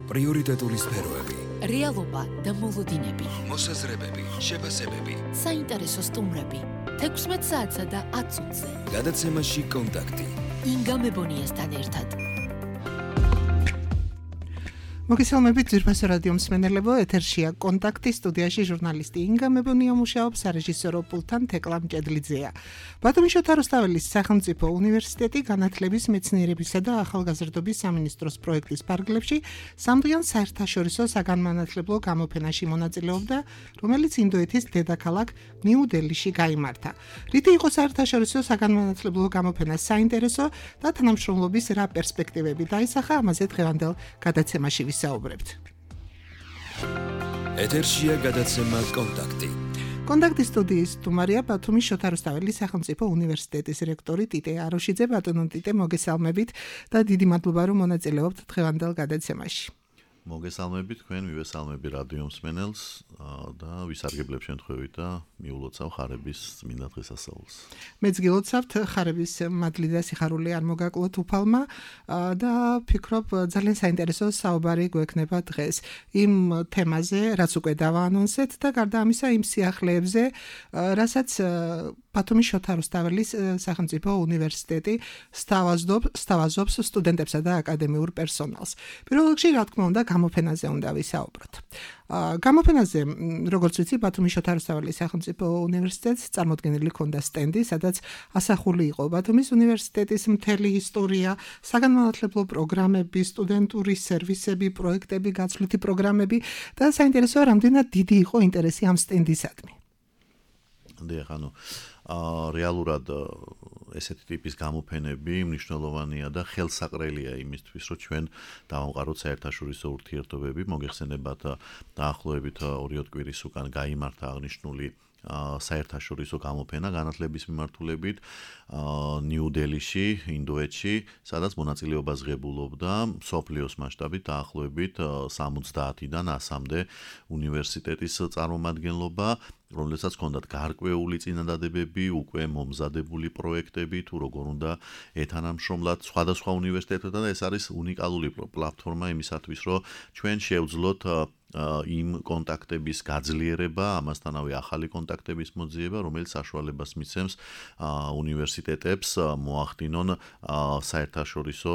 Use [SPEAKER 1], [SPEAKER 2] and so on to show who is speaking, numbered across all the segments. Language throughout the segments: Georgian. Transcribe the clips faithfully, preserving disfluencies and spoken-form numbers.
[SPEAKER 1] პრიორიტეტული სფეროები,
[SPEAKER 2] რეალობა და მოლოდინები,
[SPEAKER 1] მოსაზრებები, შეფასებები,
[SPEAKER 2] საინტერესო სტუმრები, თექვსმეტ საათსა და ათ წუთზე.
[SPEAKER 1] გადაცემაში კონტაქტი.
[SPEAKER 2] ინგა მებონიასთან ერთად.
[SPEAKER 3] მოგესალმებით ძვირფასო რადიო მსმენელებო, ეთერშია კონტაქტი, სტუდიაში ჟურნალისტი ინგა მებონია მუშაობს, სარეჟისორო პულტთან თეკლა მჭედლიძეა. ბათუმის შოთა რუსთაველის სახელმწიფო უნივერსიტეტი განათლების, მეცნიერებისა და ახალგაზრდობის სამინისტროს პროექტის ფარგლებში სამდღიან საერთაშორისო საგანმანათლებლო გამოფენაში მონაწილეობდა, რომელიც ინდოეთის დედაქალაქ ნიუ-დელიში გაიმართა. რითი იყო საერთაშორისო საგანმანათლებლო გამოფენა საინტერესო და თანამშრომლობის რა პერსპექტივები დაისახა, ამაზე დღევანდელ გადაცემაში საუბრებთ.
[SPEAKER 1] ეთერშია გადაცემა კონტაქტი.
[SPEAKER 3] კონტაქტის სტუდიის სტუმარია ბათუმის შოთა რუსთაველის სახელმწიფო უნივერსიტეტის რექტორი ტიტე აროშიძე. ბატონო ტიტე, მოგესალმებით და დიდი მადლობა რომ მონაწილეობთ დღევანდელ გადაცემაში.
[SPEAKER 4] მოგესალმებით თქვენ, მივესალმები რადიო მსმენელს და ვისარგებლებ შემთხვევით და მიულოცავ ხარების წმინდა დღესასწაულს.
[SPEAKER 3] მეც გილოცავთ ხარების მადლი და სიხარული არ მოგაკლოთ უფალმა და ფიქრობ ძალიან საინტერესო საუბარი გვექნება დღეს იმ თემაზე, რაც უკვე დავაანონსეთ და გარდა ამისა იმ სიახლეებზე, რასაც ბათუმის შოთა რუსთაველის სახელმწიფო უნივერსიტეტი სთავაზობს სტუდენტებსა და აკადემიურ პერსონალს. პირველ რიგში, რა თქმა უნდა, გამოფენაზე უნდა ვისაუბროთ. გამოფენაზე, როგორც ვიცი, ბათუმის შოთა რუსთაველის სახელმწიფო უნივერსიტეტს წარმოდგენილი ჰქონდა სტენდი, სადაც ასახული იყო ბათუმის უნივერსიტეტის მთელი ისტორია, საგანმანათლებლო პროგრამები, სტუდენტური სერვისები, პროექტები, გაცვლითი პროგრამები და საინტერესოა, რამდენად დიდი იყო ინტერესი ამ სტენდისადმი.
[SPEAKER 4] დიახ, ანუ რეალურად ესეთი ტიპის გამოფენები მნიშვნელოვანია და ხელსაყრელია იმისთვის, რომ ჩვენ დავამყაროთ საერთაშორისო ურთიერთობები. მოგეხსენებათ, დაახლოებით ორი კვირის უკან გაიმართა აღნიშნული საერთაშორისო გამოფენა განათლების მიმართულებით ნიუ-დელიში, ინდოეთში, სადაც მონაწილეობას ღებულობდა მსოფლიოს მასშტაბით დაახლოებით სამოცდაათიდან ასამდე უნივერსიტეტის წარმომადგენლობა, რომელსაც ჰქონდათ გარკვეული წინადადებები, უკვე მომზადებული პროექტები, თუ როგორ უნდა ეთანამშრომლოთ სხვადასხვა უნივერსიტეტებთან და ეს არის უნიკალური პლატფორმა იმისათვის, რომ ჩვენ შევძლოთ იმ კონტაქტების გაძლიერება, ამასთანავე ახალი კონტაქტების მოძიება, რომელიც საშუალებას მისცემს უნივერსიტეტებს მოახდინონ საერთაშორისო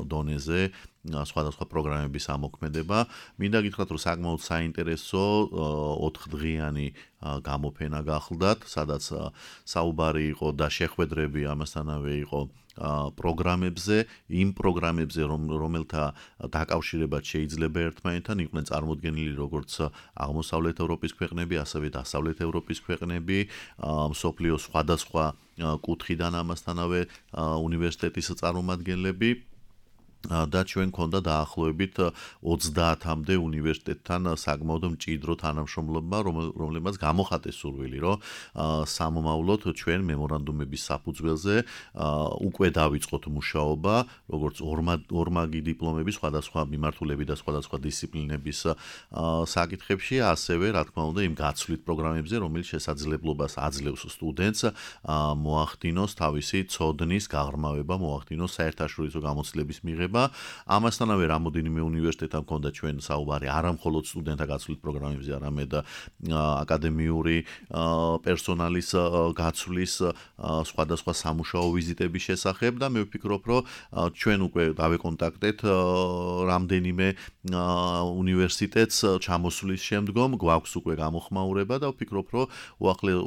[SPEAKER 4] დონეზე სხვადასხვა პროგრამების ამოქმედება. მინდა გითხრათ, რომ საკმაოდ საინტერესო ოთხდღიანი გამოფენა გახლდათ, სადაც საუბარი იყო და შეხვედრები ამასთანავე იყო პროგრამებზე, იმ პროგრამებზე, რომელთა დაკავშირებაც შეიძლება ერთმანეთთან, იყვნენ წარმოდგენილი როგორც აღმოსავლეთ ევროპის ქვეყნები, ასევე დასავლეთ ევროპის ქვეყნები, მსოფლიოს სხვადასხვა კუთხიდან ამასთანავე უნივერსიტეტის წარმომადგენლები. და ჩვენ ქონდა დაახლოებით ოცდაათამდე უნივერსიტეტთან საკმაოდ მჭიდრო თანამშრომლობა, რომლებმაც გამოხატეს სურვილი, რომ სამომავლოდ ჩვენ მემორანდუმების საფუძველზე უკვე დავიწყოთ მუშაობა, როგორც ორმაგი დიპლომები სხვადასხვა მიმართულებით და სხვადასხვა დისციპლინების საკითხებში, ასევე რა თქმა უნდა იმ გაცვლით პროგრამებზე, რომელიც შესაძლებლობას აძლევს სტუდენტს მოახდინოს თავისი ცოდნის გაღრმავება, მოახდინოს საერთაშორისო გამოცდილების მიღება. ამასთანავე რამოდენიმე უნივერსიტეტთან ჰქონდა ჩვენ საუბარი არა მხოლოდ სტუდენტთა გაცვლით პროგრამებზე, არამედ აკადემიური პერსონალის გაცვლის სხვადასხვა სამუშაო ვიზიტების შესახებ და მე ვფიქრობ, რომ ჩვენ უკვე დავეკონტაქტეთ რამდენიმე უნივერსიტეტს ჩამოსვლის შემდგომ, გვაქვს უკვე გამოხმაურება და ვფიქრობ, რომ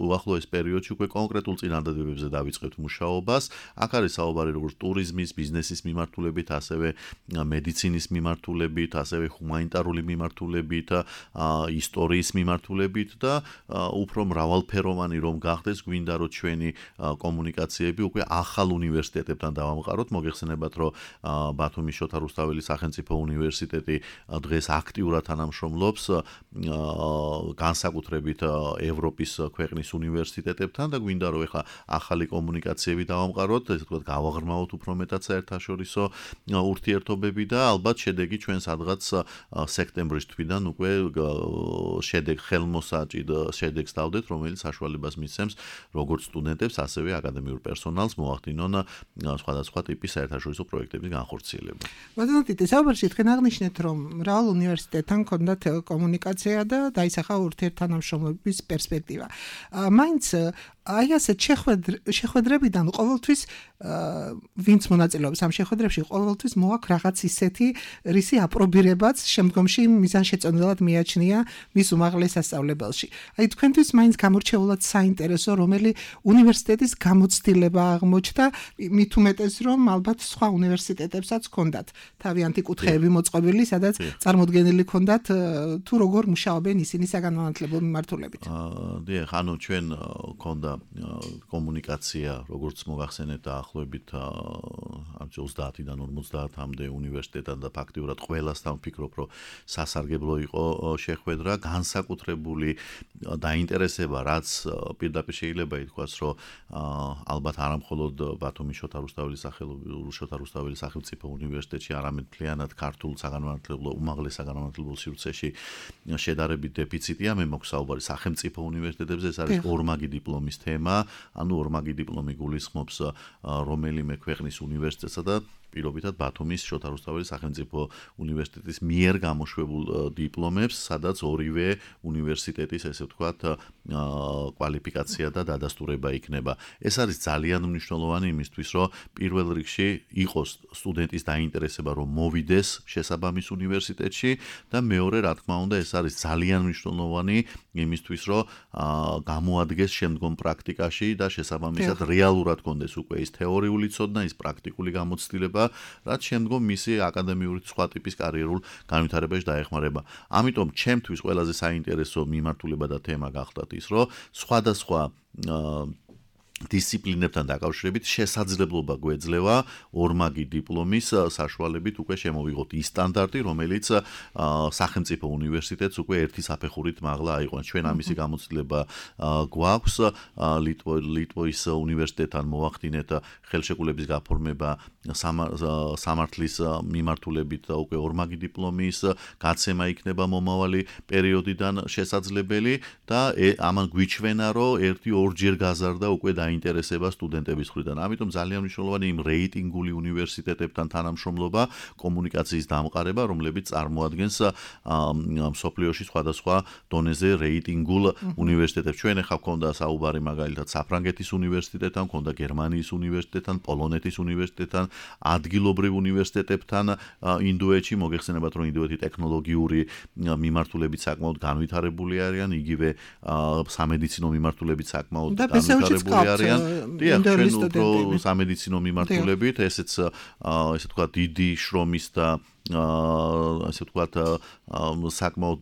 [SPEAKER 4] უახლოეს პერიოდში უკვე კონკრეტულ წინადადებებზე დავიწყებთ მუშაობას. აქ არის საუბარი როგორც ტურიზმის, ბიზნესის მიმართულებით, ასევე მედიცინის მიმართულებით, ასევე ჰუმანიტარული მიმართულებით, ისტორიის მიმართულებით და უფრო მრავალფეროვანი რომ გახდეს, გვინდა რომ ჩვენი კომუნიკაციები უკვე ახალ უნივერსიტეტებთან დავამყაროთ. მოგეხსენებათ, რომ ბათუმის შოთა რუსთაველის სახელმწიფო უნივერსიტეტი დღეს აქტიურად თანამშრომლობს განსაკუთრებით ევროპის ქვეყნის უნივერსიტეტებთან და გვინდა რომ ეხლა ახალი კომუნიკაციები დავამყაროთ, ესე ვთქვათ, გავაღრმავოთ უფრო მეტად საერთაშორისო ურთიერთობები და ალბათ შედეგი ჩვენ სადღაც სექტემბრის თვიდან უკვე შედეგ ხელმოსაჭიდ შედეგს დავდეთ, რომელიც საშუალებას მისცემს როგორც სტუდენტებს, ასევე აკადემიურ პერსონალს მოახდინონ სხვადასხვა ტიპის საერთაშორისო პროექტების განხორციელება.
[SPEAKER 3] ბატონო ტიტი, საუბარში თქვენ აღნიშნეთ, რომ მრავალ უნივერსიტეტთან ჰქონდათ კომუნიკაცია და დაისახა ურთიერთთანამშრომლობის პერსპექტივა. მაინც აი ასეთ შეხვედრებიდან ყოველთვის ვინც მონაწილეობს ამ შეხვედრებში, ყოველთვის მოაქვს რაღაც ისეთი რისი აპრობირებაც შემდგომში მიზანშეწონილად მიაჩნია მის უმაღლეს სასწავლებელში. აი თქვენთვის მაინც გამორჩეულად საინტერესო რომელი უნივერსიტეტის გამოცდილება აღმოჩნდა, მით უმეტეს რომ ალბათ სხვა უნივერსიტეტებსაც ჰქონდათ თავიანთი კუთხეები მოწყობილი, სადაც წარმოდგენილი ჰქონდათ თუ როგორ მუშაობენ ისინი საგანმანათლებლო მიმართულებით.
[SPEAKER 4] აა დიახ, ანუ ჩვენ ჰქონდა კომუნიკაცია, როგორც მოგახსენეთ დაახლოებით ოცდაათიდან ორმოცდაათამდე უნივერსიტეტთან და ფაქტიურად ყველასთან ვფიქრობ, რომ სასარგებლო იყო შეხვედრა, განსაკუთრებული დაინტერესება, რაც პირდაპირ შეიძლება ითქვას, რომ ალბათ არა მხოლოდ ბათუმის შოთა რუსთაველის შოთა რუსთაველის სახელმწიფო უნივერსიტეტში, არამედ მთლიანად ქართულ საგანმანათლებლო უმაღლეს საგანმანათლებლო სივრცეში შედარებით დეფიციტია. მე მაქვს საუბარი სახელმწიფო უნივერსიტეტებზე, ეს არის ორმაგი დიპლომის თემა, ანუ ორმაგი დიპლომი გულისხმობს რომელიმე ქვეყნის უნივერსიტეტსა და პირობითად ბათუმის შოთა რუსთაველის სახელმწიფო უნივერსიტეტის მიერ გამოშვებულ დიპლომებს, სადაც ორივე უნივერსიტეტის, ესე ვთქვათ, კვალიფიკაცია და დადასტურება იქნება. ეს არის ძალიან მნიშვნელოვანი იმისთვის, რომ პირველ რიგში იყოს სტუდენტის დაინტერესება, რომ მოვიდეს შესაბამის უნივერსიტეტში და მეორე, რა თქმა უნდა, ეს არის ძალიან მნიშვნელოვანი იმისთვის, რომ გამოადგეს შემდგომ პრაქტიკაში და შესაბამისად რეალურად კონდეს უკვე ის თეორიული ცოდნა, ის პრაქტიკული გამოცდილება, რაც შემდგომ მისი აკადემიური სხვა ტიპის კარიერულ განვითარებაში დაეხმარება. ამიტომ ჩემთვის ყველაზე საინტერესო მიმართულება და თემა გახლდათ ის, რომ სხვადასხვა დისციპლინებთან დაკავშირებით შესაძლებლობა გვეძლევა ორმაგი დიპლომის საშუალებით უკვე შემოვიღოთ ის სტანდარტი, რომელიც სახელმწიფო უნივერსიტეტს უკვე ერთი საფეხურით მაღლა აიყვანს. ჩვენ ამისი გამოცდილება გვაქვს, ლიტვის უნივერსიტეტთან მოახდინეთ ხელშეკრულების გაფორმება სამართლის მიმართულებით და უკვე ორმაგი დიპლომის გაცემა იქნება მომავალი პერიოდიდან შესაძლებელი და ამან გვიჩვენა, რომ ერთი ორჯერ გაზარდა უკვე დაინტერესება სტუდენტების მხრიდან. ამიტომ ძალიან მნიშვნელოვანი იმ რეიტინგული უნივერსიტეტებთან თანამშრომლობა, კომუნიკაციის დამყარება, რომლებიც წარმოადგენს მსოფლიოში სხვადასხვა დონეზე რეიტინგულ უნივერსიტეტებს. ჩვენ ახლა გვქონდა საუბარი მაგალითად საფრანგეთის უნივერსიტეტთან, გვქონდა გერმანიის უნივერსიტეტთან, პოლონეთის უნივერსიტეტთან, ადგილობრივ უნივერსიტეტებთან ინდოეთში. მოგეხსენებათ, რომ ინდოეთი ტექნოლოგიური მიმართულებით საკმაოდ განვითარებული არიან, იგივე სამედიცინო მიმართულებით საკმაოდ განვითარებული არიან. დიახ, ჩვენ უფრო სამედიცინო მიმართულებით, ესეც ესე ვთქვათ დიდი შრომის და ასე ვთქვათ საკმაოდ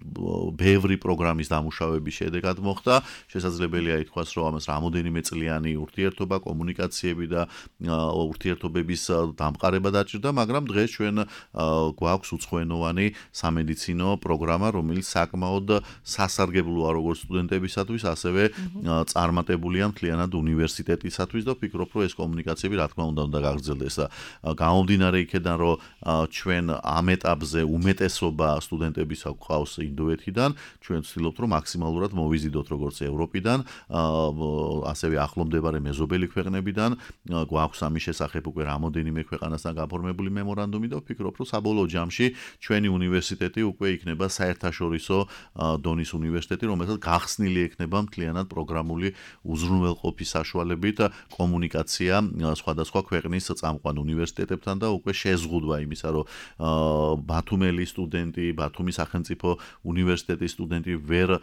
[SPEAKER 4] ბევრი პროგრამის დამუშავების შედეგად მოხდა. შესაძლებელია ითქვას, რომ ამას რამოდენიმე წლიანი ურთიერთობა, კომუნიკაციები და ურთიერთობების დამყარება დაჭირდა, მაგრამ დღეს ჩვენ გვაქვს უცხოენოვანი სამედიცინო პროგრამა, რომელიც საკმაოდ სასარგებლოა როგორც სტუდენტებისათვის, ასევე წარმატებულია მთლიანად უნივერსიტეტისათვის და ვფიქრობ, რომ ეს კომუნიკაციები რა თქმა უნდა უნდა გაგრძელდეს. გამომდინარე იქედან, რომ ჩვენ ამ ეტაპზე უმეტესობა სტუდენტებისა გვყავს ინდოეთიდან, ჩვენ ვცდილობთ, რომ მაქსიმალურად მოვიზიდოთ როგორც ევროპიდან, ასევე ახლომდებარე მეზობელი ქვეყნებიდან. გვაქვს ამის შესახებ უკვე რამოდენიმე ქვეყანასთან გაფორმებული მემორანდუმი და ვფიქრობ, რომ საბოლოო ჯამში ჩვენი უნივერსიტეტი უკვე იქნება საერთაშორისო დონის უნივერსიტეტი, რომელსაც გახსნილი ექნება მთლიანად პროგრამული უზრუნველყოფის საშუალებით კომუნიკაცია სხვადასხვა ქვეყნის წამყვან უნივერსიტეტებთან და უკვე შეზღუდვა იმისა, რომ ბათუმელი სტუდენტი, ბათუმის სახელმწიფო უნივერსიტეტის სტუდენტი ვერ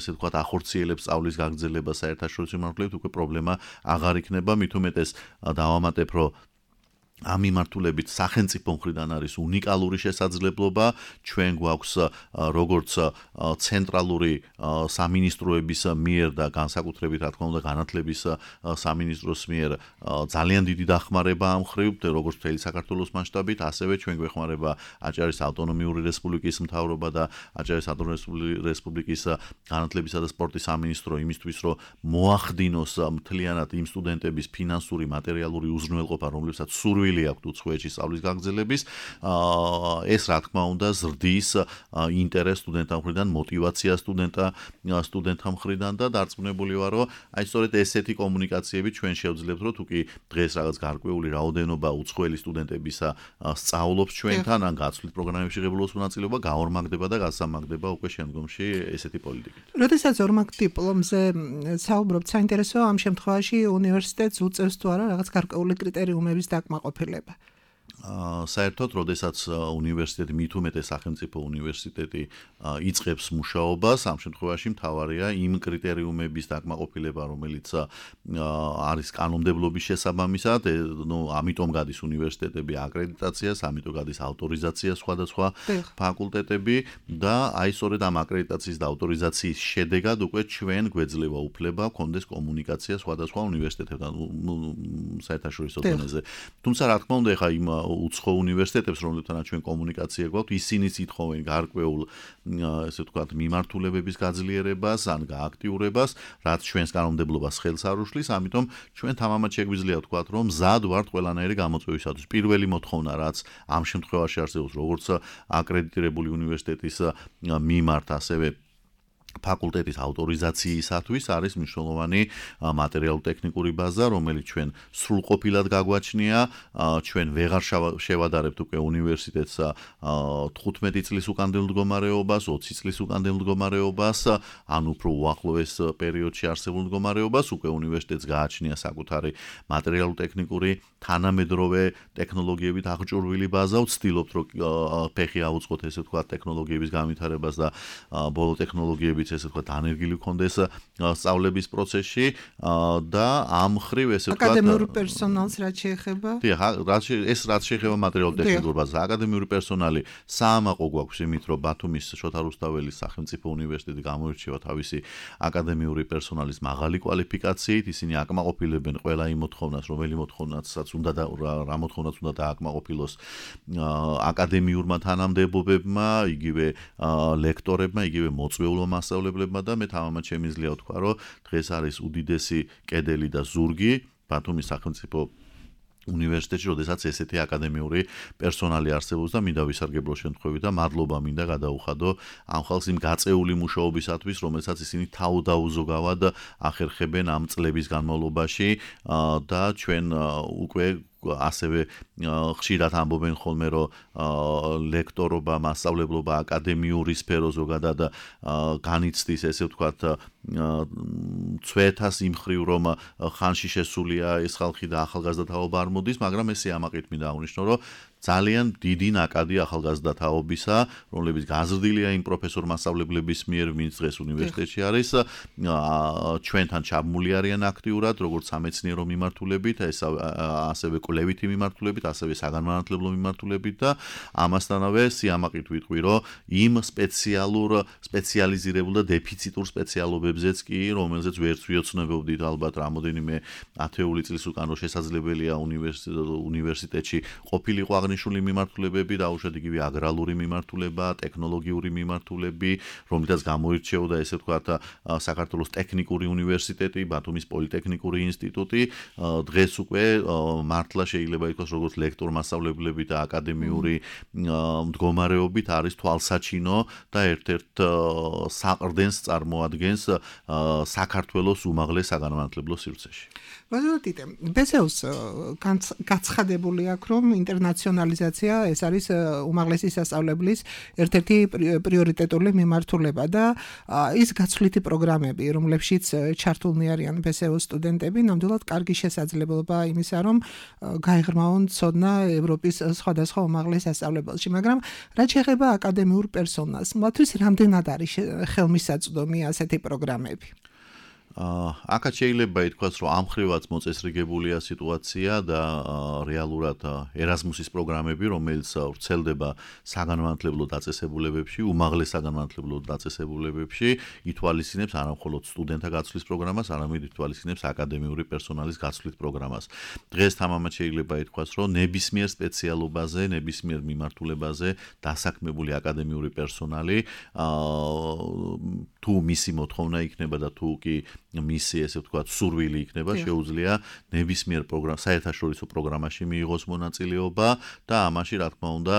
[SPEAKER 4] ესე ვთქვათ ახორციელებს სწავლის გაგრძელებას საერთაშორისო მიმართულებით, უკვე პრობლემა აღარ იქნება. მით უმეტეს დავამატებ, რომ ამ მიმართულებით სახელმწიფო მხრიდან არის უნიკალური შესაძლებლობა. ჩვენ გვაქვს როგორც ცენტრალური სამინისტროების მიერ და განსაკუთრებით რა თქმა უნდა განათლების სამინისტროს მიერ ძალიან დიდი დახმარება ამ მხრივ, როგორც მთელი საქართველოს მასშტაბით, ასევე ჩვენ გვეხმარება აჭარის ავტონომიური რესპუბლიკის მთავრობა და აჭარის ავტონომიური რესპუბლიკის განათლებისა და სპორტის სამინისტრო იმისთვის, რომ მოახდინოს მთლიანად იმ სტუდენტების ფინანსური, მატერიალური უზრუნველყოფა, რომლებსაც სურვილი დაკავებული აქვთ უცხოეთში სწავლის გაგრძელების, ეს რა თქმა უნდა ზრდის ინტერესს სტუდენტთა მხრიდან, мотиваცია სტუდენტთა სტუდენტთა მხრიდან და დარწმუნებული ვარ, რომ აი სწორედ ესეთი კომუნიკაციები ჩვენ შევძლებთ, რომ თუ კი დღეს რაღაც გარკვეული რაოდენობა უცხოელი სტუდენტებისა სწავლობს ჩვენთან, ან გაცვლით პროგრამებში ღებულობს მონაწილეობა, გაორმაგდება და გასამაგდება უკვე შემდგომში ესეთი პოლიტიკით.
[SPEAKER 3] როდესაც ორმაგ დიპლომზე საუბრობთ, საინტერესოა ამ შემთხვევაში უნივერსიტეტს უწევს თუ არა რაღაც გარკვეული კრიტერიუმების დაკმაყოფილება.
[SPEAKER 4] საერთოდ, როდესაც უნივერსიტეტი მით უმეტეს სახელმწიფო უნივერსიტეტი იწყებს მუშაობას, ამ შემთხვევაში მთავარია იმ კრიტერიუმების დაკმაყოფილება, რომელიც არის კანონმდებლობის შესაბამისად, ნუ ამიტომ გადის უნივერსიტეტები აკრედიტაციას, ამიტომ გადის ავტორიზაცია სხვადასხვა ფაკულტეტები და აი სწორედ ამ აკრედიტაციის და ავტორიზაციის შედეგად უკვე ჩვენ გვეძლევა უფლება გქონდეს კომუნიკაცია სხვადასხვა უნივერსიტეტებთან, ნუ საერთაშორისო დონეზე. თუმცა რა თქმა უნდა, ეხა იმ უცხო უნივერსიტეტებს, რომლებთანაც ჩვენ კომუნიკაცია გვაქვს, ისინიც ითხოვენ გარკვეულ, ესე ვთქვათ, მიმართულებების გაძლიერებას ან გააქტიურებას, რაც ჩვენს კანონმდებლობას ხელს არ უშლის, ამიტომ ჩვენ თამამად შეგვიძლია ვთქვათ, რომ მზად ვართ ყველანაირი გამოწვევისათვის. პირველი მოთხოვნა, რაც ამ შემთხვევაში არსებობს, როგორც აკრედიტირებული უნივერსიტეტის მიმართ, ასევე ფაკულტეტის ავტორიზაციისათვის არის მნიშვნელოვანი მატერიალურ-ტექნიკური ბაზა, რომელიც ჩვენ სრულყოფილად გაგვაჩნია. ჩვენ ვეღარ შევადარებთ უკვე უნივერსიტეტს თხუთმეტი წლის უკანდელ მდგომარეობას, ოცი წლის უკანდელ მდგომარეობას, ან უფრო უახლოეს პერიოდში არსებულ მდგომარეობას, უკვე უნივერსიტეტს გააჩნია საკუთარი მატერიალურ-ტექნიკური თანამედროვე ტექნოლოგიებით აღჭურვილი ბაზა. ვცდილობთ, რომ ფეხი აუწყოთ, ესე ვთქვათ, ტექნოლოგიების განვითარებას და ბოლო ტექნოლოგიების ესე ვთქვათ, ანერგილი კონდეს სწავლების პროცესში და ამ ხრივ ესე ვთქვათ,
[SPEAKER 3] აკადემიური პერსონალს რაც შეეხება?
[SPEAKER 4] დიახ, რაც ეს რაც შეეხება მატერიალურ-ტექნიკურ ბაზას, აკადემიური პერსონალი საამაყო გვაქვს იმით, რომ ბათუმის შოთა რუსთაველის სახელმწიფო უნივერსიტეტი გამოირჩევა თავისი აკადემიური პერსონალის მაღალი კვალიფიკაციით, ისინი აკმაყოფილებენ ყველა იმ მოთხოვნას, რომელი მოთხოვნასაც უნდა და რა მოთხოვნაც უნდა დააკმაყოფილოს აკადემიურმა თანამდებობებმა, იგივე ლექტორებმა, იგივე მოწვეულმა მასწავლებლებმა და მე თამამად შემიძლია ვთქვა, რომ დღეს არის უდიდესი კედელი და ზურგი ბათუმის სახელმწიფო უნივერსიტეტში, როდესაც ესეთი აკადემიური პერსონალი არსებობს და მინდა ვისარგებლო შემთხვევით და მადლობა მინდა გადაუხადო ამ ხალხს იმ გაწეული მუშაობისათვის, რომელსაც ისინი თავდაუზოგავად ახერხებენ ამ წლების განმავლობაში და ჩვენ უკვე ასევე ხშირად ამბობენ ხოლმე, რომ ლექტორობა, მასწავლებლობა, აკადემიური სფერო ზოგადად განიცდის, ესე ვთქვათ, ცვეთას იმ ხრივ, რომ ხანში შესულია ეს ხალხი და ახალგაზრდა თაობა არ მოდის, მაგრამ ეს ამაყით მინდა აღნიშნო, რომ ძალიან დიდი ნაკადი ახალგაზრდა თაობისა, რომლებიც გაზრდილია იმ პროფესორ მასწავლებლების მიერ, ვინც დღეს უნივერსიტეტში არის, ჩვენთან ჩაბმული არიან აქტიურად, როგორც სამეცნიერო მიმართულებით, ასევე კვლევითი მიმართულებით, ასევე საგანმანათლებლო მიმართულებით და ამასთანავე სიამაყით ვიტყვი, რომ იმ სპეციალურ, სპეციალიზირებულ და დეფიციტურ სპეციალობებზეც კი, რომელზეც ვერც ვიოცნებობდით ალბათ რამოდენიმე ათეული წლის უკან, რომ შესაძლებელია უნივერსიტეტში ყოფილიყო აღნიშნული მიმართულებები, დაუშვათ იგივე აგრარული მიმართულება, ტექნოლოგიური მიმართულები, რომლითაც გამოირჩეოდა ესე ვთქვათ საქართველოს ტექნიკური უნივერსიტეტი, ბათუმის პოლიტექნიკური ინსტიტუტი, დღეს უკვე მართლა შეიძლება ითქვას, როგორც ლექტორ-მასწავლებლები და აკადემიური მდგომარეობით არის თვალსაჩინო და ერთ-ერთ საყრდენს წარმოადგენს საქართველოს უმაღლეს საგანმანათლებლო სივრცეში.
[SPEAKER 3] ბაზილ ტიტე, ბესეუს გაცხადებული აქვს, რომ ინტერნაციონალიზაცია ეს არის უმაღლესი სასწავლებლის ერთ-ერთი პრიორიტეტული მიმართულება და ის გაცვლითი პროგრამები, რომლებშიც ჩართულნი არიან ბესეუს სტუდენტები, ნამდვილად კარგი შესაძლებლობა იმისა, რომ გაიღრმავონ ცოდნა ევროპის სხვადასხვა უმაღლეს სასწავლებელში, მაგრამ რაც შეეხება აკადემიურ პერსონალს, მათთვის რამდენად არის ხელმისაწვდომი ასეთი პროგრამები?
[SPEAKER 4] აქაც შეიძლება ითქვას, რომ ამ ხრივაც მოწესრიგებულია სიტუაცია და რეალურად ერაზმუსის პროგრამები, რომელიც ვრცელდება საგანმანათლებლო დაწესებულებებში, უმაღლეს საგანმანათლებლო დაწესებულებებში, ითვალისწინებს არა მხოლოდ სტუდენტთა გაცვლის პროგრამას, არამედ ითვალისწინებს აკადემიური პერსონალის გაცვლის პროგრამას. დღეს თამამად შეიძლება ითქვას, რომ ნებისმიერ სპეციალობაზე, ნებისმიერ მიმართულებაზე დასაქმებული აკადემიური პერსონალი თუ მისი მოთხოვნა იქნება და თუ კი მისი ესე ვთქვათ სურვილი იქნება, შეუძლია ნებისმიერ პროგრამ საერთაშორისო პროგრამაში მიიღოს მონაწილეობა და ამაში რა თქმა უნდა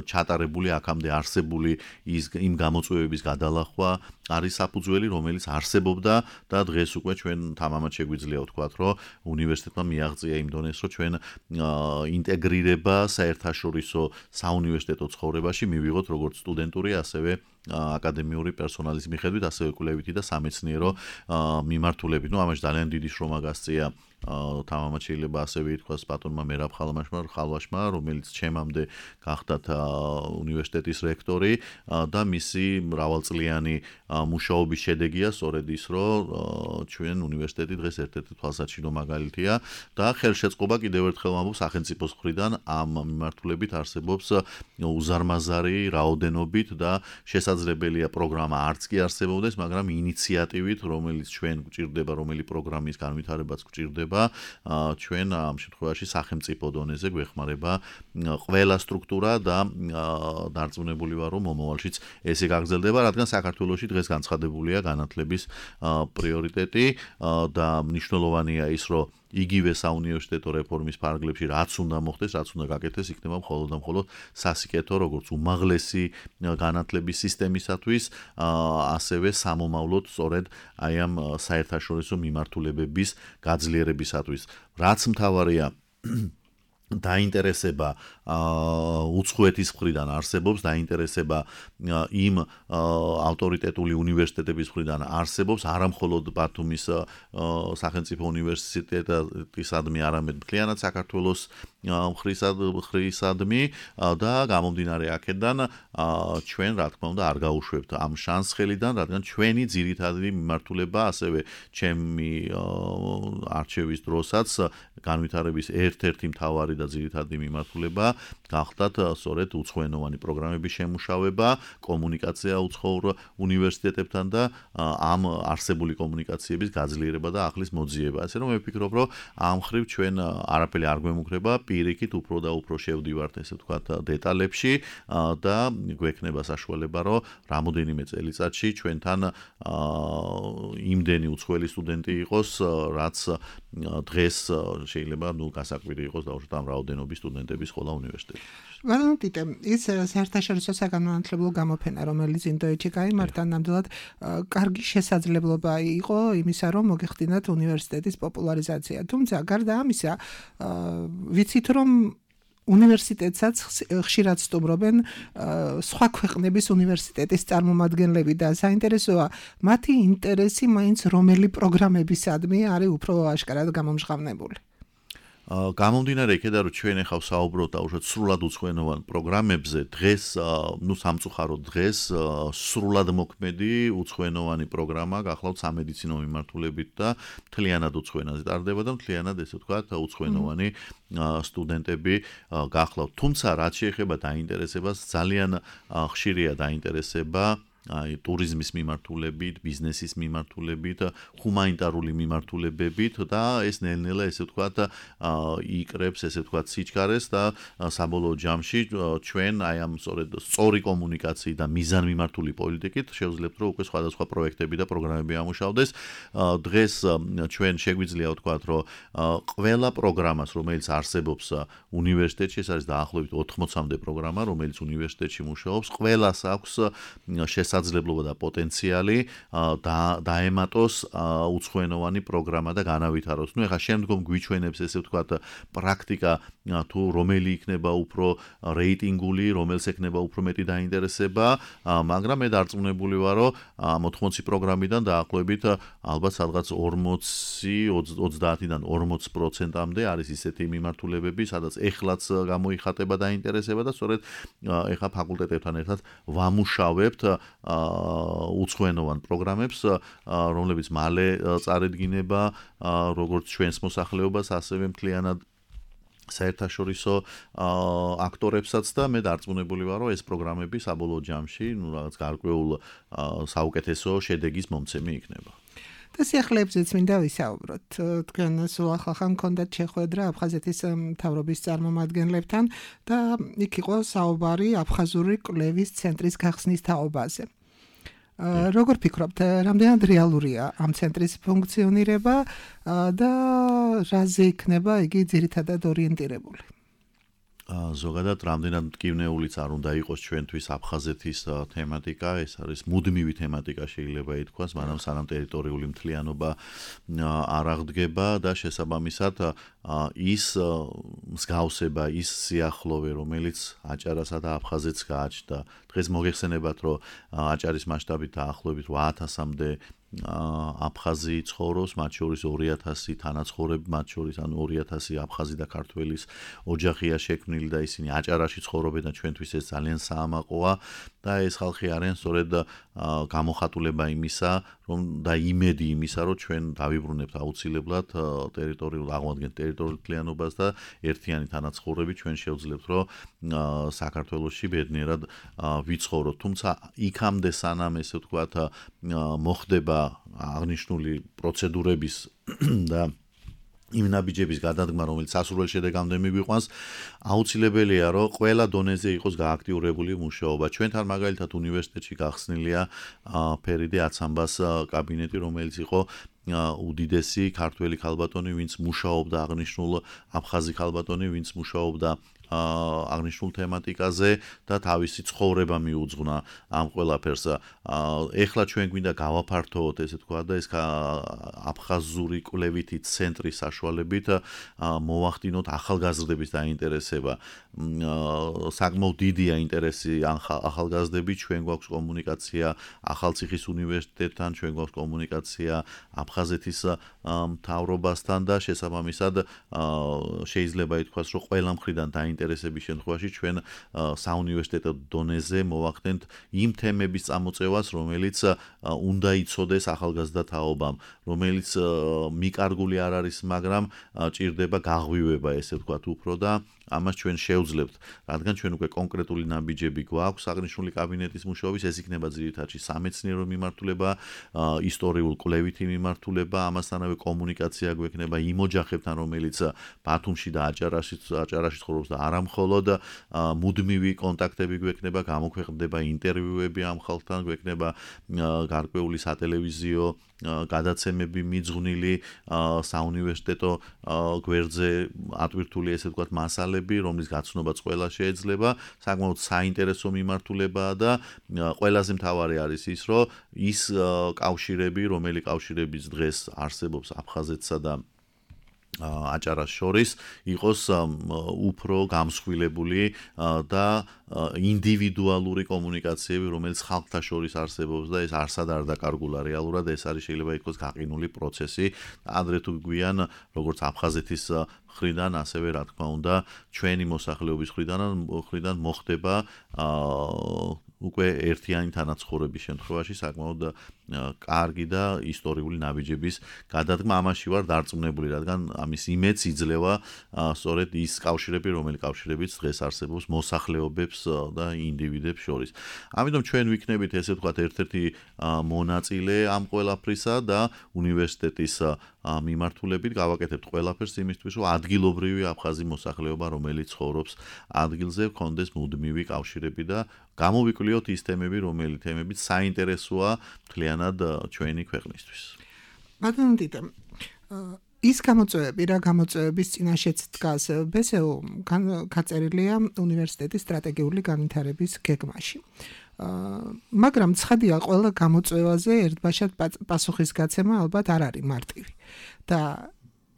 [SPEAKER 4] ჩატარებული აქამდე არსებული ის იმ გამოწვევების გადალახვა არის საფუძველი, რომელიც არსებობდა და დღეს უკვე ჩვენ თამამად შეგვიძლია ვთქვათ, რომ უნივერსიტეტმა მიაღწია იმ დონეს, რომ ჩვენ ინტეგრირება საერთაშორისო საუნივერსიტეტო ცხოვრებაში მივიღოთ როგორც სტუდენტური, ასევე აკადემიური პერსონალის მიხედვით, ასევე კვლევითი და სამეცნიერო მიმართულებით. ნუ ამაში ძალიან დიდი შრომა გასწია თამამად შეიძლება ასევე ითქვას ბატონმა მერაბ ხალვაშმა, ხალვაშმა, რომელიც ჩემამდე გახდათ უნივერსიტეტის რექტორი და მისი მრავალწლიანი მუშაობის შედეგია სწორედ ის, რომ ჩვენ უნივერსიტეტი დღეს ერთ-ერთი თვალსაჩინო მაგალითია და ხელშეწყობა კიდევ ერთხელ ვამბობ სახელმწიფოს მხრიდან ამ მიმართულებით არსებობს უზარმაზარი რაოდენობით და შესაძლებელია პროგრამა არც კი არსებობდეს, მაგრამ ინიციატივით, რომელიც ჩვენ გვჭირდება, რომელი პროგრამის განვითარებაც გვჭირდება ჩვენ ამ შემთხვევაში სახელმწიფო დონეზე გვეხმარება ყველა სტრუქტურა და დარწმუნებული ვარ, რომ მომავალშიც ესე გაგრძელდება, რადგან საქართველოში დღეს განცხადებულია განათლების პრიორიტეტი და მნიშვნელოვანია ის, რომ იგივე საუნივერსიტეტო რეფორმის ფარგლებში რაც უნდა მოხდეს, რაც უნდა გაკეთდეს, იქნება მხოლოდ და მხოლოდ სასიკეთო, როგორც უმაღლესი განათლების სისტემისათვის, ასევე სამომავლოდ სწორედ აი ამ საერთაშორისო მიმართულებების გაძლიერებისათვის. რაც მთავარია დაინტერესება უცხოეთის მხრიდან არსებობს, დაინტერესება იმ ავტორიტეტული უნივერსიტეტების მხრიდან არსებობს, არა მხოლოდ ბათუმის სახელმწიფო უნივერსიტეტისადმი, არამედ მთლიანად საქართველოს მხრისადმი და გამომდინარე აქედან ჩვენ რა თქმა უნდა არ გაუშვებთ ამ შანსს ხელიდან, რადგან ჩვენი ძირითადი მიმართულება, ასევე ჩემი არჩევის დროსაც განვითარების ერთ-ერთი მთავარი და ძირითადი მიმართულება გახდათ სწორედ უცხოენოვანი პროგრამების შემუშავება, კომუნიკაცია უცხოურ უნივერსიტეტებთან და ამ არსებული კომუნიკაციების გაძლიერება და ახლის მოძიება. ასე რომ მე ვფიქრობ, რომ ამ ხრივ ჩვენ არაფერი არ გვემუქრება, პირიქით უფრო და უფრო შევდივართ ესე ვთქვათ დეტალებში და გვექნება საშუალება, რომ რამოდენიმე წელიწადში ჩვენთან იმდენი უცხოელი სტუდენტი იყოს, რაც დღეს შეიძლება ნუ გასაკვირი იყოს დაუშვათ ამ რაოდენობის სტუდენტების ხოლა უნივერსიტეტში.
[SPEAKER 3] ვალო ტიტე, ის საერთაშორისო საგანმანათლებლო გამოფენა, რომელიც ინდოეთში გაიმართა, ნამდვილად კარგი შესაძლებლობა იყო იმისა, რომ მოგეხდინათ უნივერსიტეტის პოპულარიზაცია. თუმცა გარდა ამისა, ვიცით რომ უნივერსიტეტსაც ხშირად სტუმრობენ სხვა ქვეყნების უნივერსიტეტის წარმომადგენლები და საინტერესოა მათი ინტერესი მაინც რომელი პროგრამებისადმი არის უფრო აშკარად გამომჟღავნებული.
[SPEAKER 4] გამომდინარე იქედან, რომ ჩვენ ახლა საუბრობთ დაუშვათ სრულად უცხოენოვან პროგრამებზე, დღეს, ნუ სამწუხაროდ დღეს სრულად მოქმედი უცხოენოვანი პროგრამა გახლავთ სამედიცინო მიმართულებით და მთლიანად უცხოენაზე ტარდება და მთლიანად ესე ვთქვათ უცხოენოვანი სტუდენტები გახლავთ. თუმცა რაც შეეხება დაინტერესებას, ძალიან ხშირია დაინტერესება აი ტურიზმის მიმართულებით, ბიზნესის მიმართულებით, ჰუმანიტარული მიმართულებებით და ეს ნელ-ნელა ესე ვთქვათ იკრებს ესე ვთქვათ სიჩქარეს და საბოლოო ჯამში ჩვენ აი ამ სწორედ სწორი კომუნიკაციით და მიზანმიმართული პოლიტიკით შევძლებთ რომ უკვე სხვადასხვა პროექტები და პროგრამები ამუშავდეს. დღეს ჩვენ შეგვიძლია ვთქვათ რომ ყველა პროგრამას რომელიც არსებობს უნივერსიტეტში, ეს არის დაახლოებით ოთხმოცამდე პროგრამა რომელიც უნივერსიტეტში მუშაობს, ყველას აქვს შესაძლებლობა და პოტენციალი და დაემატოს უცხოენოვანი პროგრამა და განავითაროს. ნუ ეხლა შემდგომ გვიჩვენებს ესე ვთქვათ პრაქტიკა თუ რომელი იქნება უფრო რეიტინგული, რომელს ექნება უფრო მეტი დაინტერესება, მაგრამ მე დარწმუნებული ვარ, რომ ამ ოთხმოცი პროგრამიდან დაახლოებით ალბათ სადღაც ორმოცი ოცდაათიდან ორმოც პროცენტამდე არის ისეთი მიმართულებები, სადაც ეხლაც გამოიხატება დაინტერესება და სწორედ ეხლა ფაკულტეტებთან ერთად ვამუშავებთ უცხოენოვან პროგრამებს, რომლებიც მალე წარედგინება როგორც ჩვენს მოსახლეობას, ასევე მთლიანად საერთაშორისო აქტორებსაც და მე დარწმუნებული ვარ, რომ ეს პროგრამები საბოლოო ჯამში, ნუ რაღაც გარკვეულ საუკეთესო შედეგის მომცემი იქნება.
[SPEAKER 3] და სიახლეებზეც მინდა ვისაუბროთ. თქვენ სულ ახალ მქონდათ შეხვედრა აფხაზეთის მთავრობის წარმომადგენლებთან და იქ იყო საუბარი აფხაზური კვლევის ცენტრის გახსნის თაობაზე. როგორ ფიქრობთ, რამდენად რეალურია ამ ცენტრის ფუნქციონირება და რაზე იქნება იგი ძირითადად ორიენტირებული?
[SPEAKER 4] ზოგადად რამდენად მტკივნეულიც არ უნდა იყოს ჩვენთვის აფხაზეთის თემატიკა, ეს არის მუდმივი თემატიკა შეიძლება ითქვას, მაგრამ სანამ ტერიტორიული მთლიანობა არ აღდგება და შესაბამისად ის მსგავსება, ის სიახლოვე, რომელიც აჭარასა და აფხაზეთს გააჩნდა. დღეს მოგეხსენებათ, რომ აჭარის მასშტაბით დაახლოებით რვა ათასამდე აფხაზი ცხოვრობს, მათ შორის ორი ათასი თანაცხოვრები, მათ შორის ანუ ორი ათასი აფხაზი და ქართველის ოჯახია შექმნილი და ისინი აჭარაში ცხოვრობენ და ჩვენთვის ეს ძალიან საამაყოა და ეს ხალხი არიან სწორედ გამოხატულება იმისა, რომ და იმედი იმისა, რომ ჩვენ დავიბრუნებთ აუცილებლად ტერიტორიულ აღმადგენთ ტერიტორიულ მთლიანობას და ერთიანი თანაცხოვრები ჩვენ შევძლებთ, რომ საქართველოში ბედნიერად ვიცხოვროთ. თუმცა იქამდე სანამ ესე ვთქვათ მოხდება აღნიშნული პროცედურების და იმ ნაბიჯების გადადგმა, რომელიც სასურველ შედეგამდე მიგვიყვანს, აუცილებელია, რომ ყველა დონეზე იყოს გააქტიურებული მუშაობა. ჩვენთან მაგალითად უნივერსიტეტში გახსნილია ფერიდე აცამბას კაბინეტი, რომელიც იყო უდიდესი ქართველი ქალბატონი, ვინც მუშაობდა აღნიშნულ აფხაზი ქალბატონი, ვინც მუშაობდა აღნიშნულ თემატიკაზე და თავისი ცხოვრება მიუძღვნა ამ ყველაფერს. ეხლა ჩვენ გვინდა გავაფართოვოთ, ესე თქვა და ეს აფხაზური კვლევითი ცენტრის საშუალებით მოვახდინოთ ახალგაზრდების დაინტერესება. საკმაოდ დიდია ინტერესი ახალგაზრდებით, ჩვენ გვაქვს კომუნიკაცია ახალციხის უნივერსიტეტთან, ჩვენ გვაქვს კომუნიკაცია აფხაზეთის მთავრობასთან და შესაბამისად შეიძლება ითქვას, რომ ყველა მხრიდან დაინტერესების შემთხვევაში ჩვენ საუნივერსიტეტო დონეზე მოვახდენთ იმ თემების წამოწევას, რომელიც უნდა იცოდეს ახალგაზრდა თაობამ, რომელიც მიკარგული არ არის, მაგრამ ჭირდება გაღვივება, ესე ვთქვათ, უფრო და ამას ჩვენ შევძლებთ, რადგან ჩვენ უკვე კონკრეტული ნაბიჯები გვაქვს აღნიშნული კაბინეტის მუშაობის, ეს იქნება ძირითადად სამეცნიერო მიმართულება, ისტორიულ კვლევითი მიმართულება, ამასთანავე კომუნიკაცია გვექნება იმ ოჯახებთან, რომელიც ბათუმში და აჭარაში აჭარაში ცხოვრობს და არა მხოლოდ მუდმივი კონტაქტები გვექნება, გამოქვეყნდება ინტერვიუები ამ ხალხთან, გვექნება გარკვეული სატელევიზიო გადაცემები მიძღვნილი საუნივერსიტეტო გვერდზე ატვირთული, ესე ვთქვათ, მასალები, რომლის გაცნობაც ყველა შეიძლება, საკმაოდ საინტერესო მიმართულებაა და ყველაზე მთავარი არის ის, რომ ის კავშირები, რომელი კავშირებიც დღეს არსებობს აფხაზეთსა და აჭარას შორის იყოს უფრო გამსხვილებული და ინდივიდუალური კომუნიკაციები, რომელიც ხალხთა შორის არსებობს და ეს არსად არ დაკარგულა რეალურად, ეს არის შეიძლება ითქვას გაყინული პროცესი. ადრე თუ გვიან, როგორც აფხაზეთის მხრიდან, ასევე რა თქმა უნდა, ჩვენი მოსახლეობის მხრიდან მხრიდან მოხდება უკვე ერთიანი თანაცხოვრების შემთხვევაში საკმაოდ კარგი და ისტორიული ნაბიჯების გადადგმა. ამაში ვარ დარწმუნებული, რადგან ამის იმედს იძლევა სწორედ ის კავშირები, რომელი კავშირებიც დღეს არსებობს მოსახლეობებს და ინდივიდებს შორის. ამიტომ ჩვენ ვიქნებით, ესე ვთქვათ, ერთ-ერთი მონაწილე ამ ყველაფრისა და უნივერსიტეტის მიმართულებით გავაკეთებთ ყველაფერს იმისთვის, რომ ადგილობრივი აფხაზი მოსახლეობა, რომელიც ცხოვრობს ადგილზე, ჰქონდეს მუდმივი კავშირები და გამოვიკვლიოთ ის თემები, რომელი თემებიც საინტერესოა მთლიანად ჩვენი ქვეყნისთვის.
[SPEAKER 3] ბატონო დიდა, ის გამოწვევები, რა გამოწვევების წინაშეც დგას ბესეო გაწერილია უნივერსიტეტის სტრატეგიული განვითარების გეგმაში. მაგრამ ცხადია, ყველა გამოწვევაზე ერთბაშად პასუხისგაცემა ალბათ არ არის მარტივი. და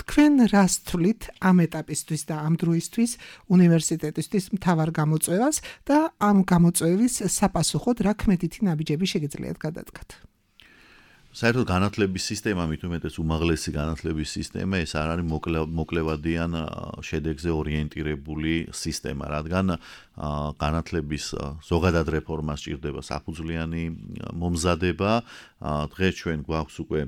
[SPEAKER 3] თქვენ რას თვლით ამ ეტაპისთვის და ამ დროისთვის უნივერსიტეტისთვის მთავარ გამოწვევას და ამ გამოწვევის საპასუხოდ რა ქმედითი ნაბიჯები შეგიძლიათ გადადგათ?
[SPEAKER 4] საერთოდ განათლების სისტემა, მით უმეტეს უმაღლესი განათლების სისტემა, ეს არ არის მოკლევადიან შედეგზე ორიენტირებული სისტემა, რადგან განათლების ზოგადად რეფორმას სჭირდება საფუძვლიანი მომზადება. დღეს ჩვენ გვაქვს უკვე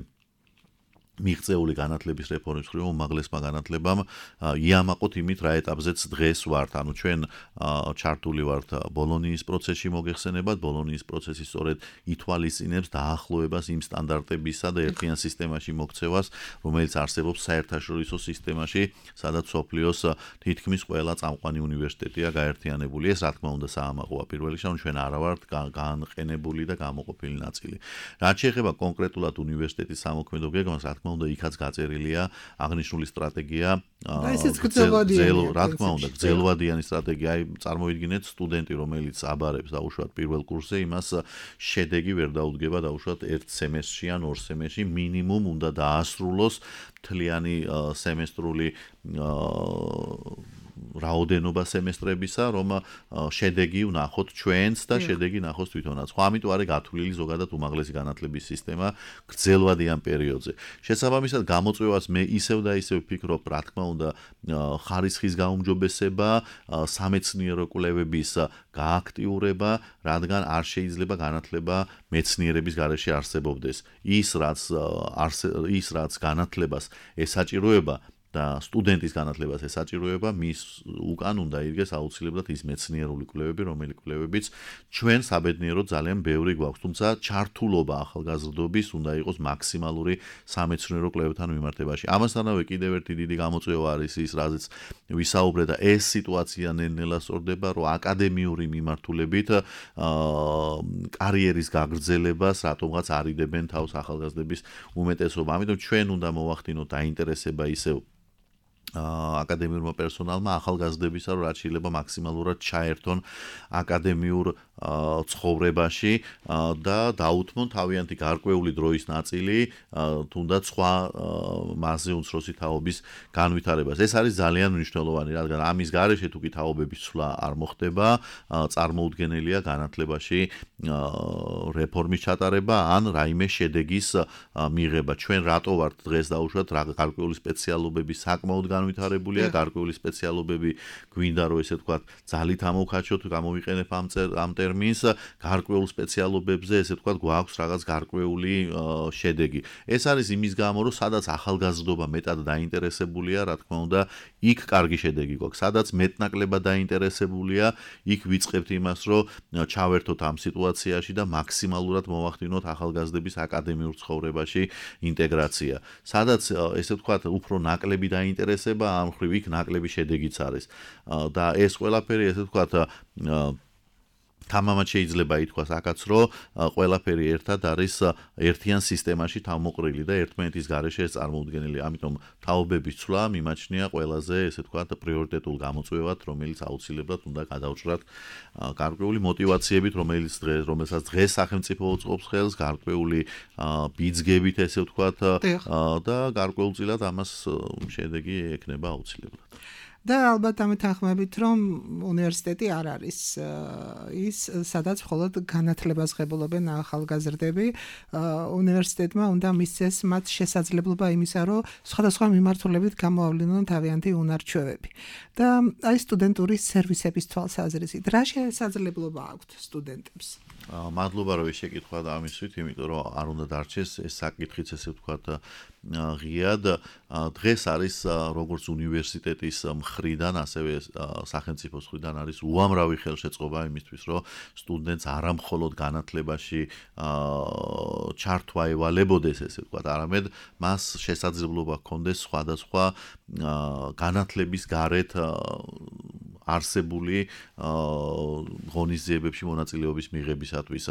[SPEAKER 4] მიღწეული განათლების რეფორმის მხრივ უმაღლესმა განათლებამ იამაყოთ იმით რა ეტაპზეც დღეს ვართ. ანუ ჩვენ ჩართული ვართ ბოლონიის პროცესში მოგეხსენებათ, ბოლონიის პროცესი სწორედ ითვალისწინებს დაახლოებას იმ სტანდარტებისა და ერთიან სისტემაში მოქცევას, რომელიც არსებობს საერთაშორისო სისტემაში, სადაც სოფლიოს თითქმის ყველა წამყვანი უნივერსიტეტია გაერთიანებული. ეს რა თქმა უნდა საამაყოა პირველ რიგში, ანუ ჩვენ არა ვართ განყენებული და გამოყოფილი ნაწილი. რაც შეეხება კონკრეტულად უნივერსიტეტის სამოქმედო გეგმას, რა თქმა უნდა იქაც გაწერილია აღნიშნული სტრატეგია
[SPEAKER 3] და ესეც გრძელვადიანი
[SPEAKER 4] რა თქმა უნდა გრძელვადიანი სტრატეგია. აი წარმოვიდგინეთ სტუდენტი რომელიც აბარებს დაუშვათ პირველ კურსზე, იმას შედეგი ვერ დაუდგება დაუშვათ ერთ სემესტრში ან ორ სემესტრში, მინიმუმ უნდა დაასრულოს მთლიანი სემესტრული რაოდენობა სემესტრებისა, რომ შედეგი ვნახოთ ჩვენც და შედეგი ნახოს თვითონაც. ხო, ამიტომ არის გათვლილი ზოგადად უმაღლესი განათლების სისტემა გრძელვადიან პერიოდზე. შესაბამისად, გამოწვევას მე ისევ და ისევ ვფიქრობ, რა თქმა უნდა, ხარისხის გაუმჯობესება, სამეცნიერო კვლევების გააქტიურება, რადგან არ შეიძლება განათლება მეცნიერების გარეშე არსებობდეს. ის რაც ის რაც განათლებას ესაჭიროება და სტუდენტის განათლებას ესაჭიროება, მის უკან უნდა იდგეს აუცილებლად ის მეცნიერული კვლევები, რომელი კვლევებიც ჩვენ საბედნიეროდ ძალიან ბევრი გვაქვს, თუმცა ჩართულობა ახალგაზრდობის უნდა იყოს მაქსიმალური სამეცნიერო კვლევებთან მიმართებაში. ამასთანავე კიდევ ერთი დიდი გამოწვევა არის ის, რაზეც ვისაუბრე და ეს სიტუაცია ნელ-ნელა სწორდება, რომ აკადემიური მიმართულებით კარიერის გაგრძელებას რატომღაც არიდებენ თავს ახალგაზრდების უმეტესობა. ამიტომ ჩვენ უნდა მოვახდინოთ დაინტერესება ისევ აკადემიურმა პერსონალმა ახალგაზრდებისა, რომ რაც შეიძლება მაქსიმალურად ჩაერთონ აკადემიურ ცხოვრებაში და დაუთმონ თავიანთი გარკვეული დროის ნაწილი თუნდაც სხვა მასზე უმცროსი თაობის განვითარებას. ეს არის ძალიან მნიშვნელოვანი, რადგან ამის გარეშე თუ კი თაობების ცვლა არ მოხდება, წარმოუდგენელია განათლებაში რეფორმის ჩატარება ან რაიმე შედეგის მიღება. ჩვენ რატო ვართ დღეს დაუშვათ გარკვეული სპეციალობები საკმაოდ განვითარებულია, გარკვეული სპეციალობები გვინდა რომ ესე ვთქვათ ძალით ამოვხაჩოთ, გამოვიყენებ ამ ამ ტერმინს, გარკვეულ სპეციალობებზე ესე ვთქვათ გვაქვს რაღაც გარკვეული შედეგი. ეს არის იმის გამო, რომ სადაც ახალგაზრდობა მეტად დაინტერესებულია, რა თქმა უნდა, იქ კარგი შედეგი გვაქვს. სადაც მეტნაკლებად დაინტერესებულია, იქ ვიწყებთ იმას, რომ ჩავერთოთ ამ სიტუაციაში და მაქსიმალურად მოვახდინოთ ახალგაზრდების აკადემიურ ცხოვრებაში ინტეგრაცია. სადაც ესე ვთქვათ უფრო ნაკლები დაინტერესება, ამ ხრივ იქ ნაკლები შედეგიც არის. და ეს ყველაფერი ესე ვთქვათ თამამად შეიძლება ითქვას აქაც, რომ ყველაფერი ერთად არის ერთიან სისტემაში თავმოყრილი და ერთმანეთის გარეშე ეს წარმოუდგენელია. ამიტომ თაობების ცვლა მიმაჩნია ყველაზე, ესე ვთქვათ, პრიორიტეტულ გამოწვევად, რომელიც აუცილებლად უნდა გადავჭრათ გარკვეული მოტივაციებით, რომელიც დღეს, რომელსაც დღეს სახელმწიფო უწყობს ხელს, გარკვეული ბიძგებით, ესე ვთქვათ, და გარკვეულწილად ამას შედეგი ექნება აუცილებლად.
[SPEAKER 3] და ალბათ ამით ახმებით, რომ უნივერსიტეტი არ არის ის, სადაც მხოლოდ განათლებას ღებულობენ ახალგაზრდები. უნივერსიტეტმა უნდა მისცეს მათ შესაძლებლობა იმისა, რომ სხვადასხვა მიმართულებით გამოავლინონ თავიანთი უნარჩვევები. და აი სტუდენტური სერვისების თვალსაზრისით, რა შესაძლებლობა აქვთ სტუდენტებს?
[SPEAKER 4] მადლობა რომ შეკითხვა და ამისვით, იმიტომ რომ არ უნდა დარჩეს ეს საკითხიც, ესე ვთქვათ, ღიად. დღეს არის როგორც უნივერსიტეტის მხრიდან, ასევე სახელმწიფოს მხრიდან არის უამრავი ხელშეწყობა იმისთვის, რომ სტუდენტს არა მხოლოდ განათლებაში ჩართვა ევალებოდეს, ესე ვთქვათ, არამედ მას შესაძლებლობა ჰქონდეს სხვადასხვა განათლების გარეთ არსებული ღონისძიებებში მონაწილეობის მიღებისათვის.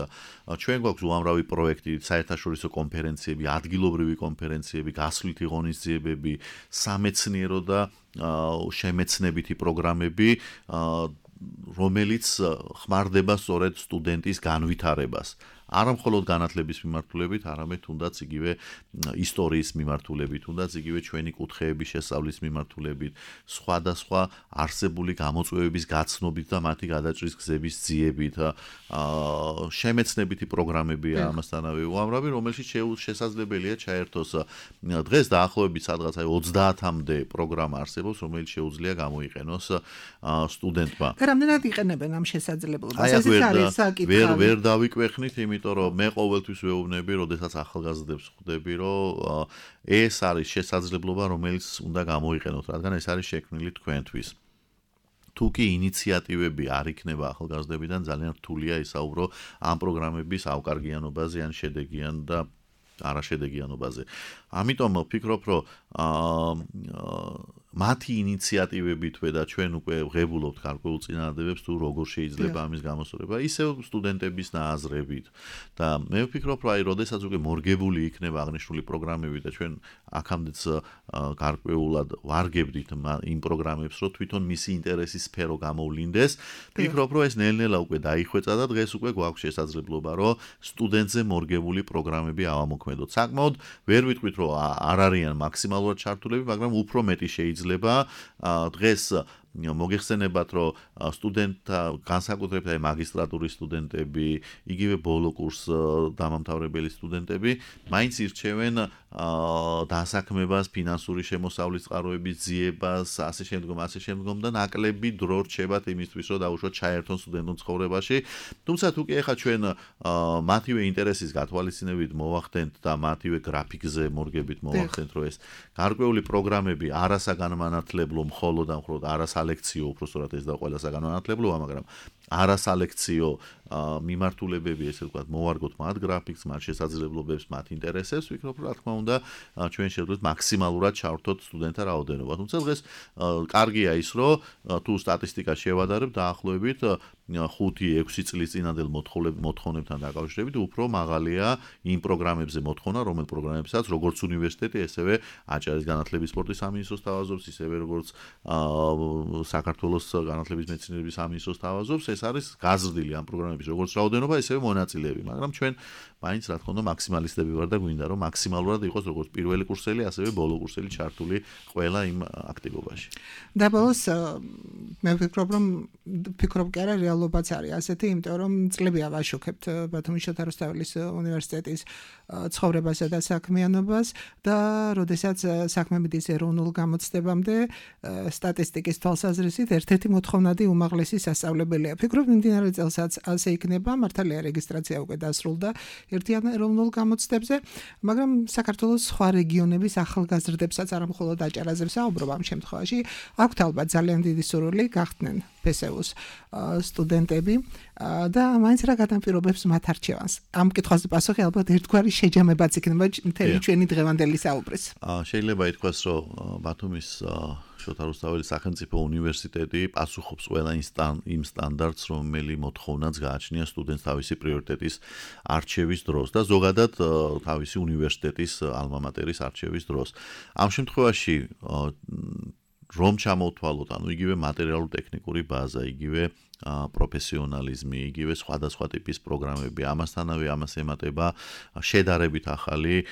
[SPEAKER 4] ჩვენ გვაქვს უამრავი პროექტი, საერთაშორისო კონფერენციები, ადგილობრივი კონფერენციები, გასვლითი ღონისძიებები, სამეცნიერო და შემეცნებითი პროგრამები, რომელიც ხმარდება სწორედ სტუდენტის განვითარებას. არა მხოლოდ განათლების მიმართულებით, არამედ თუნდაც იგივე ისტორიის მიმართულებით, თუნდაც იგივე ჩვენი კუთხეების შესწავლის მიმართულებით, სხვადასხვა არსებული გამოწვევების გაცნობით და მათი გადაჭრის გზების ძიებით, შემეცნებითი პროგრამებია ამასთანავე უამრავი, რომელშიც შესაძლებელია ჩაერთოს. დღეს დაახლოებით სადღაც აი ოცდაათამდე პროგრამა არსებობს, რომელიც შეუძლია გამოიყენოს სტუდენტმა.
[SPEAKER 3] და რამდენად იყენებენ ამ შესაძლებლობას? ეს არის საკითხი.
[SPEAKER 4] ვერ ვერ დავიკვეხნით, იმიტომ რომ მე ყოველთვის ვეუბნები, როდესაც ახალგაზრდებს ხვდები, რომ ეს არის შესაძლებლობა, რომელიც უნდა გამოიყენოთ, რადგან ეს არის შექმნილი თქვენთვის. თუ კი ინიციატივები არ იქნება ახალგაზრდებიდან, ძალიან რთულია ისაუბრო ამ პროგრამების ავკარგიანობაზე ან შედეგიან და არაშედეგიანობაზე. ამიტომ ვფიქრობ, რომ მათი ინიციატივებითვე და ჩვენ უკვე ვღებულობთ გარკვეულ წინადადებებს თუ როგორ შეიძლება ამის გამოსწორება, ისევ სტუდენტების ნააზრებით. და მე ვფიქრობ, რომ აი, როდესაც უკვე მორგებული იქნება აღნიშნული პროგრამები და ჩვენ აქამდეც გარკვეულად ვარგებდით იმ პროგრამებს, რომ თვითონ მისი ინტერესის სფერო გამოვლინდეს, ვფიქრობ, რომ ეს ნელ-ნელა უკვე დაიხვეწა და დღეს უკვე გვაქვს შესაძლებლობა, რომ სტუდენტზე მორგებული პროგრამები ავამოქმედოთ. საკმაოდ ვერ ვიტყვით, რომ არ არიან მაქსიმალურად ჩართულები, მაგრამ უფრო მეტი შეიძლება დღეს მოგეხსენებათ, რომ სტუდენტთა განსაკუთრებით აი მაგისტრატურის სტუდენტები, იგივე ბოლო კურს დამამთავრებელი სტუდენტები, მაინც ირჩევენ დასაქმებას, ფინანსური შემოსავლის წყაროების ძიებას, ასე შემდგომ, ასე შემდგომ და ნაკლები დრო რჩებათ იმისთვის, რომ დაუშვათ ჩაერთონ სტუდენტურ ცხოვრებაში. თუმცა თუ კი ახლა ჩვენ მათივე ინტერესის გათვალისწინებით მოვახდენთ და მათივე გრაფიკზე მორგებით მოვახდენთ, რომ ეს გარკვეული პროგრამები არასაგანმანათლებლო მხოლოდ და მხოლოდ არასალექციო უბრალოდ ეს და ყველა საგანმანათლებლოა, მაგრამ არასალექციო მიმართულებები, ესე ვთქვათ, მოვარგოთ მათ გრაფიკს, მათ შესაძლებლობებს, მათ ინტერესებს, ვფიქრობ, რა თქმა უნდა, ჩვენ შევძლოთ მაქსიმალურად ჩავრთოთ სტუდენტთა რაოდენობა. თუმცა დღეს კარგია ის, რომ თუ სტატისტიკა შევადარებ, დაახლოებით ხუთი ექვსი წლის წინანდელ მოთხოვნებთან დაკავშირებით უფრო მაღალია იმ პროგრამებზე მოთხოვნა, რომელ პროგრამებსაც როგორც უნივერსიტეტი, ესევე აჭარის განათლების სპორტის სამინისტროს თავაზობს, ისევე როგორც საქართველოს განათლების მეცნიერების სამინისტროს თავაზობს, ეს არის გაზრდილი ამ პროგრამების როგორც რაოდენობა, ისევე მონაწილეები, მაგრამ ჩვენ მაინც რა თქმა უნდა მაქსიმალისტები ვარ და გვინდა რომ მაქსიმალურად იყოს როგორც პირველი კურსელი, ასევე ბოლო კურსელი ჩართული ყველა იმ აქტივობაში.
[SPEAKER 3] და ბოლოს მე ვფიქრობ, რომ ვფიქრობ კი არა რეალობაც არის ასეთი, იმიტომ რომ წლებია ვაშუქებთ ბათუმის შოთა რუსთაველის უნივერსიტეტის ცხოვრებასა და საქმიანობას და როდესაც საქმე მიდის ეროვნულ გამოცდებამდე სტატისტიკის თვალსაზრისით ერთ-ერთი მოთხოვნადი უმაღლესი სასწავლებელია. ვფიქრობ, მიმდინარე წელსაც ასე იქნება, მართალია რეგისტრაცია უკვე დასრულდა ერთიან ეროვნულ გამოცდებზე, მაგრამ საქართველოს სხვა რეგიონების ახალგაზრდებსაც არა მხოლოდ აჭარაზე ვსაუბრობ ამ შემთხვევაში, აქვთ ალბათ ძალიან დიდი სურვილი გახდნენ ფესეუს სტუდენტები და მაინც რა გადამპირობებს მათ არჩევანს. ამ კითხვაზე პასუხი ალბათ ერთგვარი შეჯამებაც იქნება მთელი ჩვენი დღევანდელი საუბრის.
[SPEAKER 4] შეიძლება ითქვას, რომ ბათუმის შოთა რუსთაველის სახელმწიფო უნივერსიტეტი პასუხობს ყველა იმ სტანდარტს, რომელიც მოთხოვნაც გააჩნია სტუდენტს თავისი პრიორიტეტის არჩევის დროს და ზოგადად თავისი უნივერსიტეტის ალმა მატერის არჩევის დროს. ამ შემთხვევაში რომ ჩამოვთვალოთ, ანუ იგივე მატერიალურ-ტექნიკური ბაზა, იგივე პროფესიონალიზმი, იგივე სხვადასხვა ტიპის პროგრამები, ამასთანავე ამას ემატება შედარებით ახალი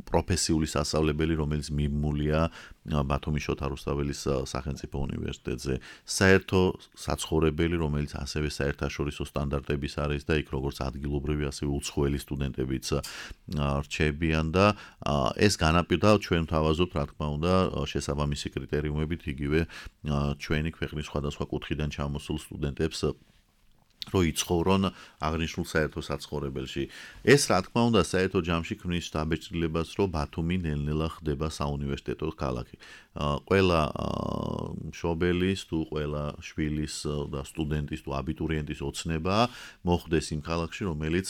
[SPEAKER 4] პროფესიული სასწავლებელი, რომელიც მიმმულია ბათუმის შოთა რუსთაველის სახელმწიფო უნივერსიტეტზე, საერთო საცხოვრებელი, რომელიც ასევე საერთაშორისო სტანდარტების არის და იქ როგორც ადგილობრივი, ასევე უცხოელი სტუდენტებიც რჩებიან და ეს განაპირდა ჩვენ თავაზობთ, რა თქმა უნდა, შესაბამისი კრიტერიუმებით იგივე ჩვენი ქვეყნის სხვადასხვა კუთხიდან ჩამოსულ სტუდენტებს რო იცხოვრონ აღნიშნულ საერთო საცხოვრებელში. ეს რა თქმა უნდა საერთო ჯამში ქმნის დაბეჭდილებას, რომ ბათუმი ნელ-ნელა ხდება საუნივერსიტეტო ქალაქი. ყველა მშობელის თუ ყველა შვილის და სტუდენტის თუ აბიტურიენტის ოცნება მოხდეს იმ ქალაქში, რომელიც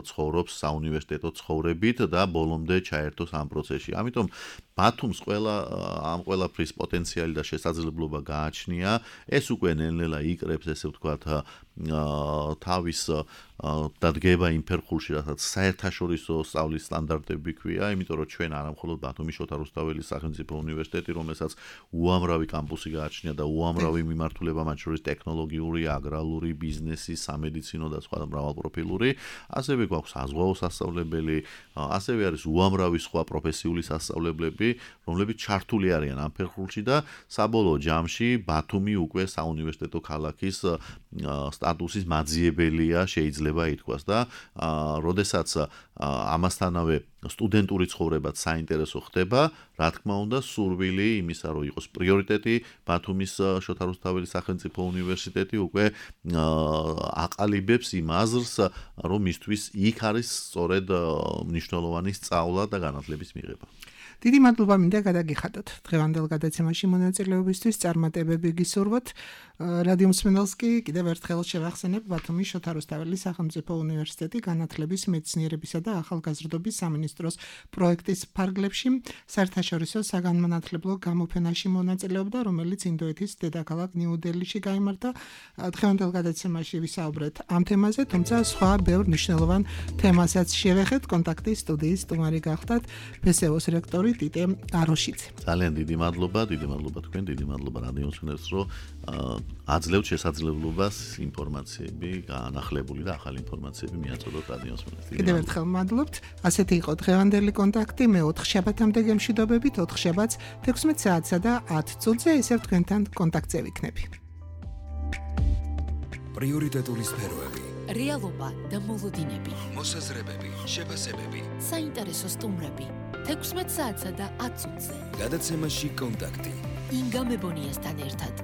[SPEAKER 4] ცხოვრობს საუნივერსიტეტო ცხოვრებით და ბოლომდე ჩაერთოს ამ პროცესში. ამიტომ ბათუმს ყველა ამ ყველაფრის პოტენციალი და შესაძლებლობა გააჩნია. ეს უკვე ნელ-ნელა იკრებს, ესე ვთქვათ, თავის დადგება იმ ფერხულში, რასაც საერთაშორისო სწავლის სტანდარტები ქვია, იმიტომ რომ ჩვენ არა მხოლოდ ბათუმის შოთა რუსთაველის სახელმწიფო უნივერსიტეტი, რომელსაც უამრავი კამპუსი გააჩნია და უამრავი მიმართულება, მათ შორის ტექნოლოგიური, აგრარული, ბიზნესი, სამედიცინო და სხვა მრავალპროფილური, ასევე გვაქვს საზღვაო სასწავლებელი, ასევე არის უამრავი სხვა პროფესიული სასწავლებლები, რომლებიც ჩართული არიან ამ ფერხულში და საბოლოო ჯამში ბათუმი უკვე საუნივერსიტეტო ქალაქის სტატუსის მაძიებელია, შეიძლება შეიძლება ითქვას და როდესაც ამასთანავე სტუდენტური ცხოვრებაც საინტერესო ხდება, რა თქმა უნდა, სურვილი იმისა, რომ იყოს პრიორიტეტი ბათუმის შოთა რუსთაველის სახელმწიფო უნივერსიტეტი უკვე აყალიბებს იმ აზრს, რომ მისთვის იქ არის სწორედ მნიშვნელოვანი სწავლა და განათლების მიღება.
[SPEAKER 3] დიდი მადლობა მინდა გადაგიხადოთ დღევანდელ გადაცემაში მონაწილეობისთვის, წარმატებები გისურვოთ. რადიო მსმენელს კი კიდევ ერთხელ შევახსენებ ბათუმის შოთა რუსთაველის სახელმწიფო უნივერსიტეტი განათლების, მეცნიერებისა და ახალგაზრდობის სამინისტროს პროექტის ფარგლებში საერთაშორისო საგანმანათლებლო გამოფენაში მონაწილეობდა, რომელიც ინდოეთის დედაქალაქ ნიუ-დელიში გაიმართა. დღევანდელ გადაცემაში ვისაუბრეთ ამ თემაზე, თუმცა სხვა ბევრ მნიშვნელოვან თემასაც შევეხეთ. კონტაქტის სტუდიის სტუმარი გახდათ ფესეოს რექტორი ტიტე აროშიძე.
[SPEAKER 4] ძალიან დიდი მადლობა, დიდი მადლობა თქვენ, დიდი მადლობა რადიო მსმენელს, რომ აძლევთ შესაძლებლობას ინფორმაციები, განახლებული და ახალი ინფორმაციები მიაწოდოთ რადიო მსმენელს.
[SPEAKER 3] კიდევ ერთხელ მადლობთ. ასეთი იყო დღევანდელი კონტაქტი. მე ოთხ შაბათამდე გემშვიდობებით, ოთხ შაბათს თექვსმეტ საათსა და ათ წუთზე ისევ თქვენთან კონტაქტზე ვიქნები.
[SPEAKER 1] პრიორიტეტული სფეროები,
[SPEAKER 2] რეალობა და მოლოდინები,
[SPEAKER 1] მოსაზრებები, შეფასებები,
[SPEAKER 2] საინტერესო სტუმრები, თექვსმეტ საათსა და ათ წუთზე.
[SPEAKER 1] გადაცემაში კონტაქტი.
[SPEAKER 2] ინგა მებონიასთან ერთად.